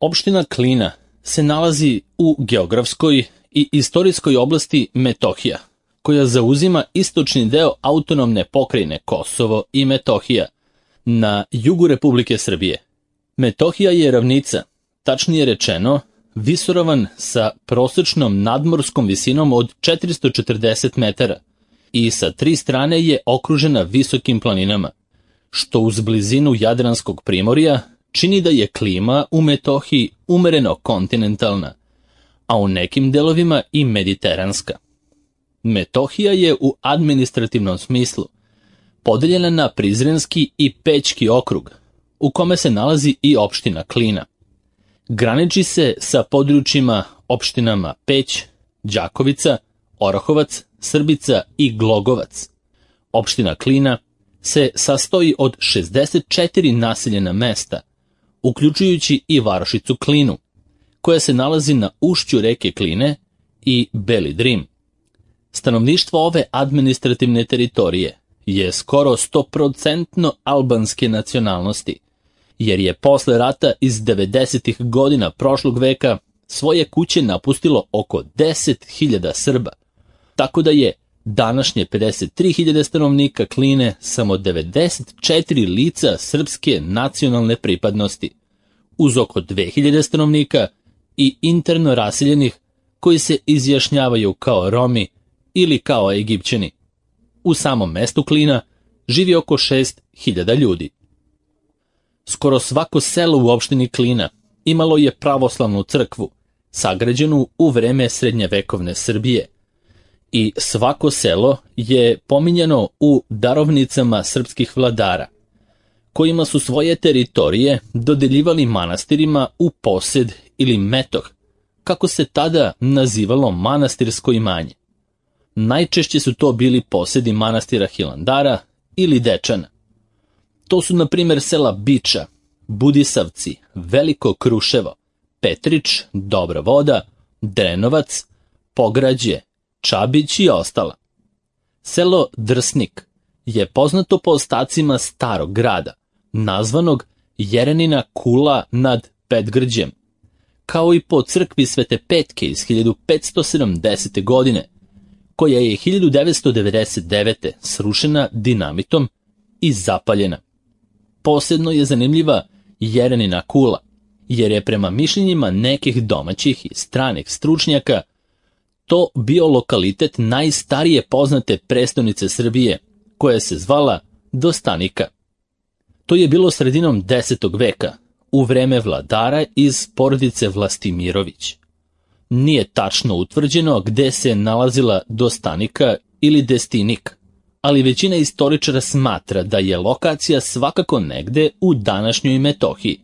Opština Klina se nalazi u geografskoj i istorijskoj oblasti Metohija, koja zauzima istočni deo autonomne pokrajine Kosovo i Metohija na jugu Republike Srbije. Metohija je ravnica, tačnije rečeno, visoravan sa prosečnom nadmorskom visinom od 440 metara i sa 3 strane je okružena visokim planinama, što uz blizinu Jadranskog primorja čini da je klima u Metohiji umereno kontinentalna, a u nekim delovima i mediteranska. Metohija je u administrativnom smislu podeljena na Prizrenski i Pećki okrug, u kome se nalazi i opština Klina. Graniči se sa područjima opštinama Peć, Đakovica, Orahovac, Srbica i Glogovac. Opština Klina se sastoji od 64 naseljena mesta, uključujući i varošicu Klinu, koja se nalazi na ušću reke Kline i Beli Drim. Stanovništvo ove administrativne teritorije je skoro 100% albanske nacionalnosti, jer je posle rata iz 90. godina prošlog veka svoje kuće napustilo oko 10.000 Srba, tako da je današnje 53.000 stanovnika Kline samo 94 lica srpske nacionalne pripadnosti, uz oko 2.000 stanovnika i interno raseljenih koji se izjašnjavaju kao Romi ili kao Egipćani. U samom mestu Klina živi oko 6.000 ljudi. Skoro svako selo u opštini Klina imalo je pravoslavnu crkvu, sagrađenu u vreme srednjevekovne Srbije, i svako selo je pominjano u darovnicama srpskih vladara, kojima su svoje teritorije dodeljivali manastirima u posed ili metoh, kako se tada nazivalo manastirsko imanje. Najčešće su to bili posedi manastira Hilandara ili Dečana. To su, na primjer, sela Biča, Budisavci, Veliko Kruševo, Petrić, Dobra Voda, Drenovac, Pograđe, Čabić i ostala. Selo Drsnik je poznato po ostacima starog grada, nazvanog Jerenina kula nad Petgrđem, kao i po crkvi Svete Petke iz 1570. godine, koja je 1999. srušena dinamitom i zapaljena. Posebno je zanimljiva Jerenina kula, jer je prema mišljenjima nekih domaćih i stranih stručnjaka to bio lokalitet najstarije poznate prestonice Srbije, koja se zvala Dostanika. To je bilo sredinom 10. veka, u vreme vladara iz porodice Vlastimirović. Nije tačno utvrđeno gde se nalazila Dostanika ili Destinik, ali većina istoričara smatra da je lokacija svakako negde u današnjoj Metohiji.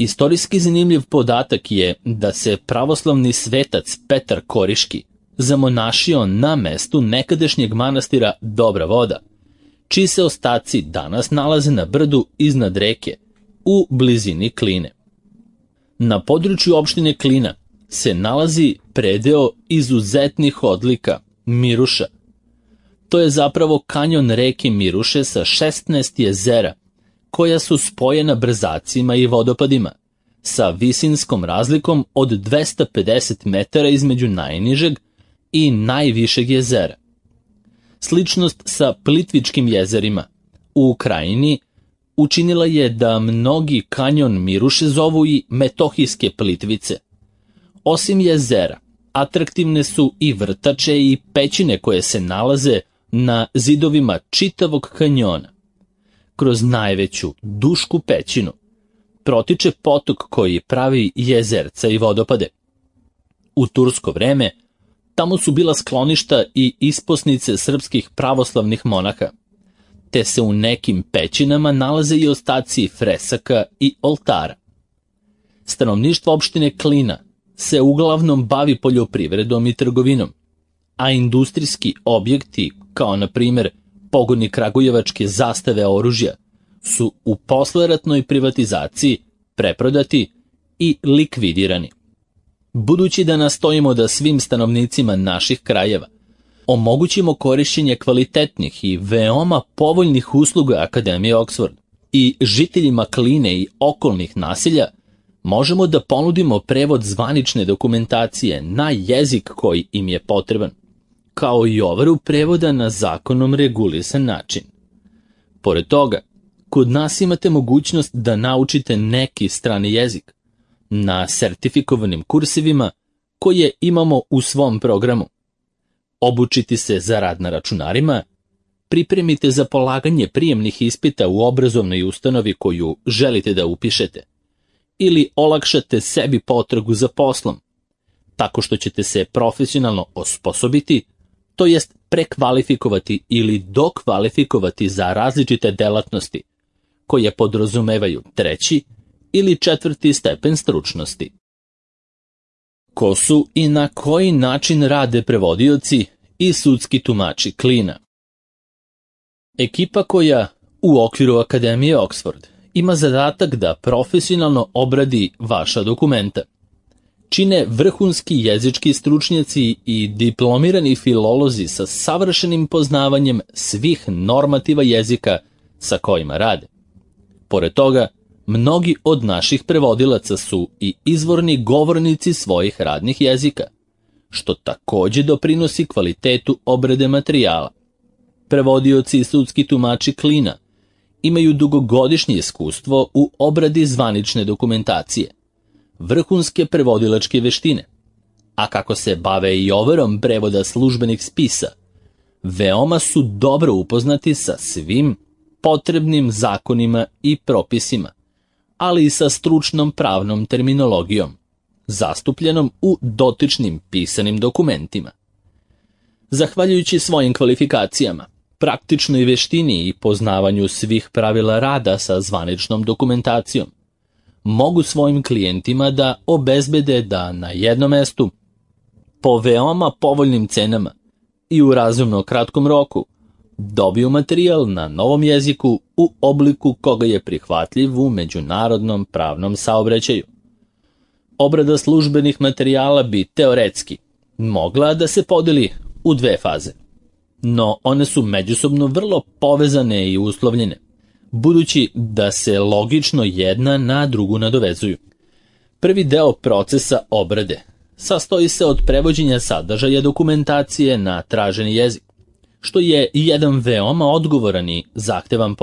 Istorijski zanimljiv podatak je da se pravoslavni svetac Petar Koriški zamonašio na mestu nekadašnjeg manastira Dobra Voda, čiji se ostaci danas nalaze na brdu iznad reke, u blizini Kline. Na području opštine Klina se nalazi predeo izuzetnih odlika Miruša. To je zapravo kanjon reke Miruše sa 16 jezera, koja su spojena brzacima i vodopadima, sa visinskom razlikom od 250 metara između najnižeg i najvišeg jezera. Sličnost sa Plitvičkim jezerima u Ukrajini učinila je da mnogi kanjon Miruše zovu i Metohijske Plitvice. Osim jezera, atraktivne su i vrtače i pećine koje se nalaze na zidovima čitavog kanjona. Kroz najveću Dušku pećinu protiče potok koji pravi jezerca i vodopade. U tursko vreme tamo su bila skloništa i isposnice srpskih pravoslavnih monaha, te se u nekim pećinama nalaze i ostaci fresaka i oltara. Stanovništvo opštine Klina se uglavnom bavi poljoprivredom i trgovinom, a industrijski objekti, kao na primjer pogoni kragujevačke zastave oružja, su u posleratnoj privatizaciji preprodati i likvidirani. Budući da nastojimo da svim stanovnicima naših krajeva omogućimo korišćenje kvalitetnih i veoma povoljnih usluga Akademije Oxford i žiteljima Kline i okolnih naselja Možemo da ponudimo prevod zvanične dokumentacije na jezik koji im je potreban, kao i overu prevoda na zakonom regulisan način. Pored toga, kod nas imate mogućnost da naučite neki strani jezik na sertifikovanim kursevima koje imamo u svom programu. Obučiti se za rad na računarima, pripremite za polaganje prijemnih ispita u obrazovnoj ustanovi koju želite da upišete, ili olakšate sebi potragu za poslom, tako što ćete se profesionalno osposobiti, to jest prekvalifikovati ili dokvalifikovati za različite delatnosti, koje podrazumevaju 3. ili 4. stepen stručnosti. Ko su i na koji način rade prevodioci i sudski tumači klina? Ekipa koja u okviru Akademije Oxford ima zadatak da profesionalno obradi vaša dokumenta. Čine vrhunski jezički stručnjaci i diplomirani filolozi sa savršenim poznavanjem svih normativa jezika sa kojima rade. Pored toga, mnogi od naših prevodilaca su i izvorni govornici svojih radnih jezika, što takođe doprinosi kvalitetu obrade materijala. Prevodioci i sudski tumači klina imaju dugogodišnje iskustvo u obradi zvanične dokumentacije, vrhunske prevodilačke veštine, a kako se bave i overom prevoda službenih spisa, veoma su dobro upoznati sa svim potrebnim zakonima i propisima, ali i sa stručnom pravnom terminologijom, zastupljenom u dotičnim pisanim dokumentima. Zahvaljujući svojim kvalifikacijama, praktičnoj veštini i poznavanju svih pravila rada sa zvaničnom dokumentacijom, mogu svojim klijentima da obezbede da na jednom mestu, po veoma povoljnim cenama i u razumno kratkom roku, dobiju materijal na novom jeziku u obliku koga je prihvatljiv u međunarodnom pravnom saobraćaju. Obrada službenih materijala bi teoretski mogla da se podeli u 2 faze, no one su međusobno vrlo povezane i uslovljene, budući da se logično jedna na drugu nadovezuju. Prvi deo procesa obrade sastoji se od prevođenja sadržaja dokumentacije na traženi jezik, što je jedan veoma odgovoran i zahtevan